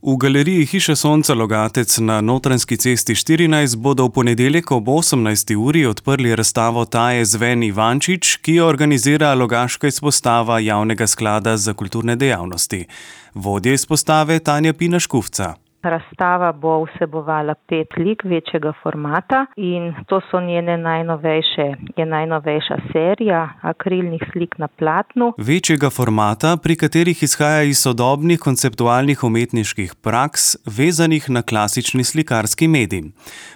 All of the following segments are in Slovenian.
V galeriji Hiše Sonca Logatec na Notranjski cesti 14 bodo v ponedeljek ob 18. uri odprli razstavo Taje Zven Ivančič, ki jo organizira Logaška izpostava Javnega sklada za kulturne dejavnosti. Vodja izpostave Tanja Pina Škufca. Razstava bo vsebovala 5 lik večjega formata in to so njene najnovejša serija akrilnih slik na platnu. Večjega formata, pri katerih izhaja iz sodobnih konceptualnih umetniških praks, vezanih na klasični slikarski medij.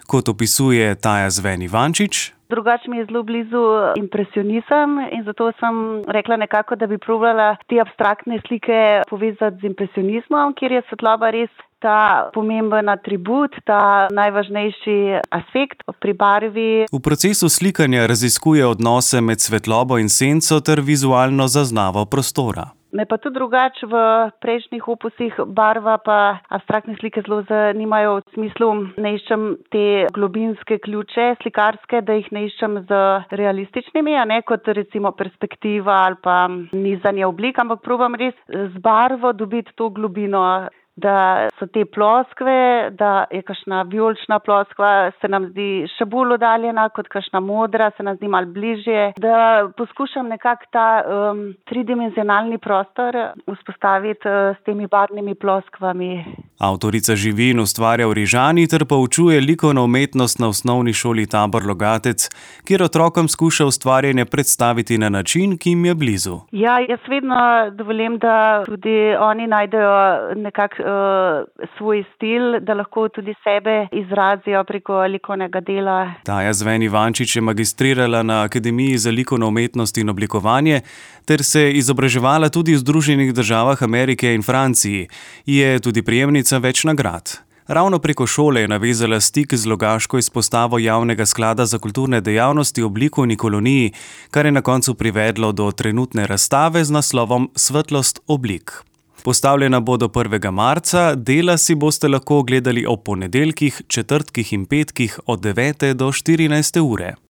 Kot opisuje Taja Zven Ivančič, drugače mi je zelo blizu impresionizem in zato sem rekla nekako, da bi probala te abstraktne slike povezati z impresionizmom, kjer je svetloba res ta pomemben atribut, ta najvažnejši aspekt pri barvi. V procesu slikanja raziskuje odnose med svetlobo in senco ter vizualno zaznavo prostora. Me pa tudi drugače v prejšnjih opusih barva pa abstraktne slike zelo zanimajo v smislu, ne iščem te globinske ključe slikarske, da jih ne iščem z realističnimi, a ne kot recimo perspektiva ali pa nizanje oblik, ampak probam res z barvo dobiti to globino, da so te ploskve, da je kakšna vijolična ploskva, se nam zdi še bolj oddaljena kot kakšna modra, se nam zdi malo bližje, da poskušam nekako ta tridimenzionalni prostor vzpostaviti s temi barvnimi ploskvami. Avtorica živi in ustvarja v Rižani ter poučuje likovno umetnost na osnovni šoli Tabor Logatec, kjer otrokom skuša ustvarjanje predstaviti na način, ki jim je blizu. Ja, jaz vedno dovolim, da tudi oni najdejo nekako svoj stil, da lahko tudi sebe izrazijo preko likovnega dela. Taja Zven Ivančič je magistrirala na Akademiji za likovno umetnost in oblikovanje ter se izobraževala tudi v Združenih državah Amerike in Franciji. Je tudi prejemnica več nagrad. Ravno preko šole je navezala stik z Logaško izpostavo Javnega sklada za kulturne dejavnosti ob likovni koloniji, kar je na koncu privedlo do trenutne razstave z naslovom Svetlost oblik. Postavljena bo do 1. marca, dela si boste lahko ogledali ob ponedeljkih, četrtkih in petkih od 9. do 14. ure.